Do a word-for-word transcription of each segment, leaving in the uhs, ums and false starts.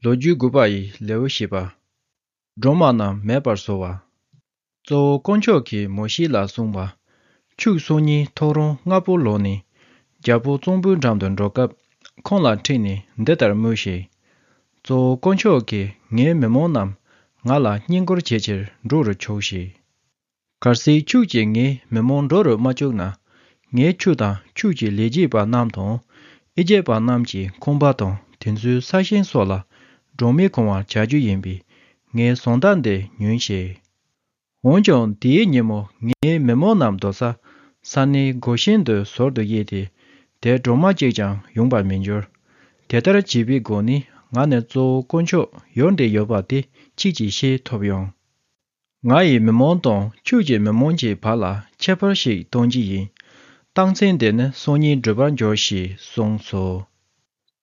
ལོ་རྒྱུས་དགུ་པ་ཡི་ལེའུ་བཞི་པ། སྦྲང་མ་རྣམས་མེད་པར་བཟོ་བ། གཙོ་བོ་དཀོན་མཆོག་གིས་མོ་ཤེ་ལ་གསུངས་པ། ཕྱུགས་སོ་གཉིས་ཐོག་རོང་སྔ་པོ་ལོག་ནས། རྒྱལ་པོ་གཙང་པོའི་འགྲམ་དུ་འགྲོ་སྐབས། ཁོང་ལ་ཁྲིད་ནས་འདི་ལྟར་སྨྲོས་ཤིག། གཙོ་བོ་དཀོན་མཆོག་གིས་ངའི་མི་མང་རྣམས་ང་ལ་བསྙེན་བཀུར་བྱེད་ཕྱིར་འགྲོ་རུ་ཆུགས་ཤིག། གལ་སྲིད་ཁྱོད་ཀྱིས་ངའི་མི་མང་འགྲོ་རུ་མ་བཅུག་ན། ངས་ཁྱོད་དང་ཁྱོད་ཀྱི་ལས་བྱེད་པ་རྣམས་དང་། ཨི་ཇེབ་པ་རྣམས་ཀྱི་ཁང་པ་དང་དེ་ཚོའི་ས་ཞིང་སོགས་ལ་སྦྲང་མས་གང་བར་བྱ་རྒྱུ་ཡིན་པས། ངའི་ཟོང་རྟགས་འདི་ཉོན་ཞིག། འོན་ཀྱང་དེའི་ཉིན་མོ་ངའི་མི་མང་རྣམས་སྡོད་ས་ས་གནས་གོ་ཤེན་དུ་ཟུར་དུ་དབྱེ་སྟེ། དེར་སྦྲང་མ་གཅིག་ཀྱང་ཡོང་བར་མི་འགྱུར། དེ་ལྟར་བྱས་པའི་སྒོ་ནས་ང་ནི་གཙོ་བོ་དཀོན་མཆོག་ཡུལ་འདིར་ཡོད་པ་དེ་ཁྱེད་ཀྱིས་ཤེས་ཐུབ་ཡོང་། ང་ཡི་མི་མང་དང་ཁྱོད་ཀྱི་མི་མང་གི་བར་ལ་ཁྱད་པར་ཞིག་གཏོང་རྒྱུ་ཡིན། རྟགས་མཚན་དེ་ནི་སང་ཉིན་འགྲུབ་པར་འགྱུར་ཞེས་གསུངས་སོ།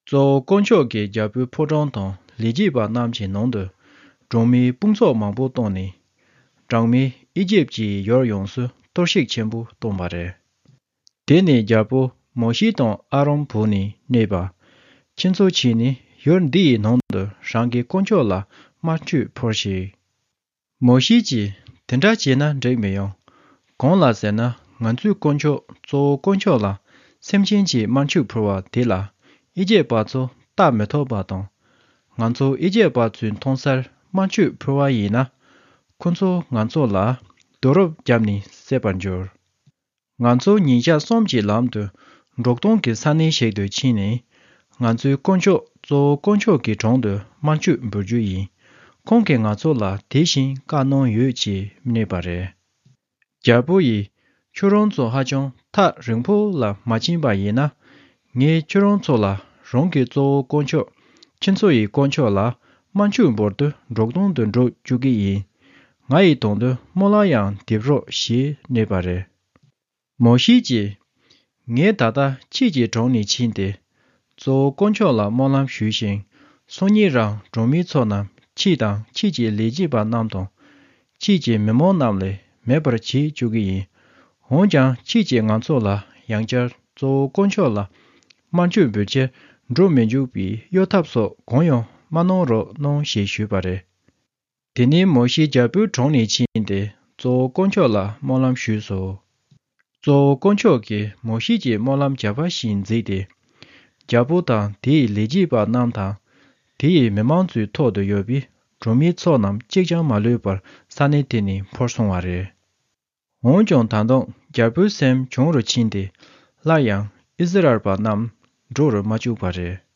གཙོ་བོ་དཀོན་མཆོག་གིས་རྒྱལ་པོའི་ཕོ་བྲང་དང་ལས་བྱེད་པ་རྣམས་ཀྱི་ནང་དུ་སྦྲང་མའི་དཔུང་ཚོགས་མང་པོ་བཏང་ནས། སྦྲང་མས་ཨི་ཇེབ་ཀྱི་ཡུལ་ཡོངས་སུ་གཏོར་བཤིག་ཆེན་པོ་བཏང་བ་རེད། དེ་ནས་རྒྱལ་པོ་མོ་ཤེ་དང་ཨ་རོན་བོས་ནས་སྨྲས་པ། ཁྱེད་ཚོ་ཕྱིན་ནས་ཡུལ་འདི་ཡི་ནང་དུ་རང་གི་དཀོན་མཆོག་ལ་དམར་མཆོད་ཕུལ་ཞིག། མོ་ཤེ་གྱིས། དེ་འདྲ་བྱས་ན་འགྲིག་མི་ཡོང་། གང་ལ་ཟེར་ན། ང་ཚོའི་དཀོན་མཆོག་གཙོ་བོ་དཀོན་མཆོག་ལ་སེམས་ཅན་གྱིས་དམར་མཆོད་ཕུལ་བ་དེ་ལ་ཨི་ཇེབ་པ་ཚོ་ལྟ་མི་ཐུབ་པ་དང་། ང་ཚོ་ཨི་ཇེབ་པ་ཚོས་མཐོང་སར་དམར་མཆོད་ཕུལ་བ་ཡིན་ན། ཁོ་ཚོ་ང་ཚོ་ལ་རྡོ་རུབ་བརྒྱབ་ནས་བསད་པར་འགྱུར། ང་ཚོ་ཉིན་ཞག་གསུམ་གྱི་ལམ་དུ་འབྲོག་སྟོང་གི་ས་གནས་ཤིག་ཏུ་ཕྱིན་ནས། ང་ཚོའི་དཀོན་མཆོག་གཙོ་བོ་དཀོན་མཆོག་གི་དྲུང་དུ་དམར་མཆོད་འབུལ་རྒྱུ་ཡིན། ཁོང་གིས་ང་ཚོ་ལ་དེ་བཞིན་བཀའ་གནང་ཡོད་ཅེས་སྨྲས་པ་རེད། རྒྱལ་པོ་ཡིས། ཁྱོད་རང་ཚོ་ཧ་ཅང་ཐག་རིང་པོ་ལ་མ་ཕྱིན་པ་ཡིན་ན། ངས་ཁྱོད་རང་ཚོ་ལ་རང་གི་གཙོ་བོ་དཀོན་མཆོག་ཁྱེད་ཚོ་ཡི་དཀོན་མཆོག་ལ་དམར་མཆོད་འབུལ་དུ་འབྲོག་སྟོང་དུ་འགྲོ་བཅུག་གི་ཡིན། ང་ཡི་དོན་དུ་སྨོན་ལམ་ཡང་འདེབས་རོགས་ཞེས་སྨྲས་པ་རེད། མོ་ཤེ་གྱིས། ངས་ད་ལྟ་ཁྱེད་ཀྱི་དྲུང་ནས་ཕྱིན་ཏེ། གཙོ་བོ་དཀོན་མཆོག་ལ་སྨོན་ལམ་ཞུས་ཤིང་། སང་ཉིན་རང་སྦྲང་མའི་ཚོགས་རྣམས་ཁྱེད་དང་ཁྱེད་ཀྱི་ལས་བྱེད་པ་རྣམས་དང་། ཁྱེད་ཀྱི་མི་མང་རྣམས་ལས་མེད་པར་བྱེད་བཅུག་གི་ཡིན། འོན་ཀྱང་ཁྱེད་ཀྱིས་ང་ཚོ་ལ་ཡང་བསྐྱར་གཙོ་བོ་དཀོན་མཆོག་ལ་དམར་མཆོད་འབུལ་ཕྱིར་འགྲོ་མི་འཇུག་པའི་གཡོ་ཐབས་སོགས་གང་ཡང་མ་གནང་རོགས་གནང་ཞེས་ཞུས་པ་རེད། དེ་ནས་མོ་ཤེ་རྒྱལ་པོའི་དྲུང་ནས་ཕྱིན་ཏེ་གཙོ་བོ་དཀོན་མཆོག་ལ་སྨོན་ལམ་ཞུས་སོ། གཙོ་བོ་དཀོན་མཆོག་གིས་མོ་ཤེ་གྱི་སྨོན་ལམ་བྱ་བ་བཞིན་བརྩིས་ཏེ། རྒྱལ་པོ་དང་དེའི་ལས་བྱེད་པ་རྣམས་དང་། དེ་ཡི་མི་མང་ཚོའི་ཐོག་ཏུ་ཡོད་པའི་སྦྲང་མའི་ཚོགས་རྣམས་གཅིག་ཀྱང་མ་ལུས་པར་ས་གནས་དེ་ནས་འཕུར་སོང་བ་རེད། འོན་ཀྱང་ད་དུང་རྒྱལ་པོའི་སེམས་གྱོང་རུ་ཕྱིན་ཏེ། སླར་ཡང་ཨིསི་རཱཨེལ་པ་རྣམས་འགྲོ་རུ་མ་བཅུག་པ་རེད།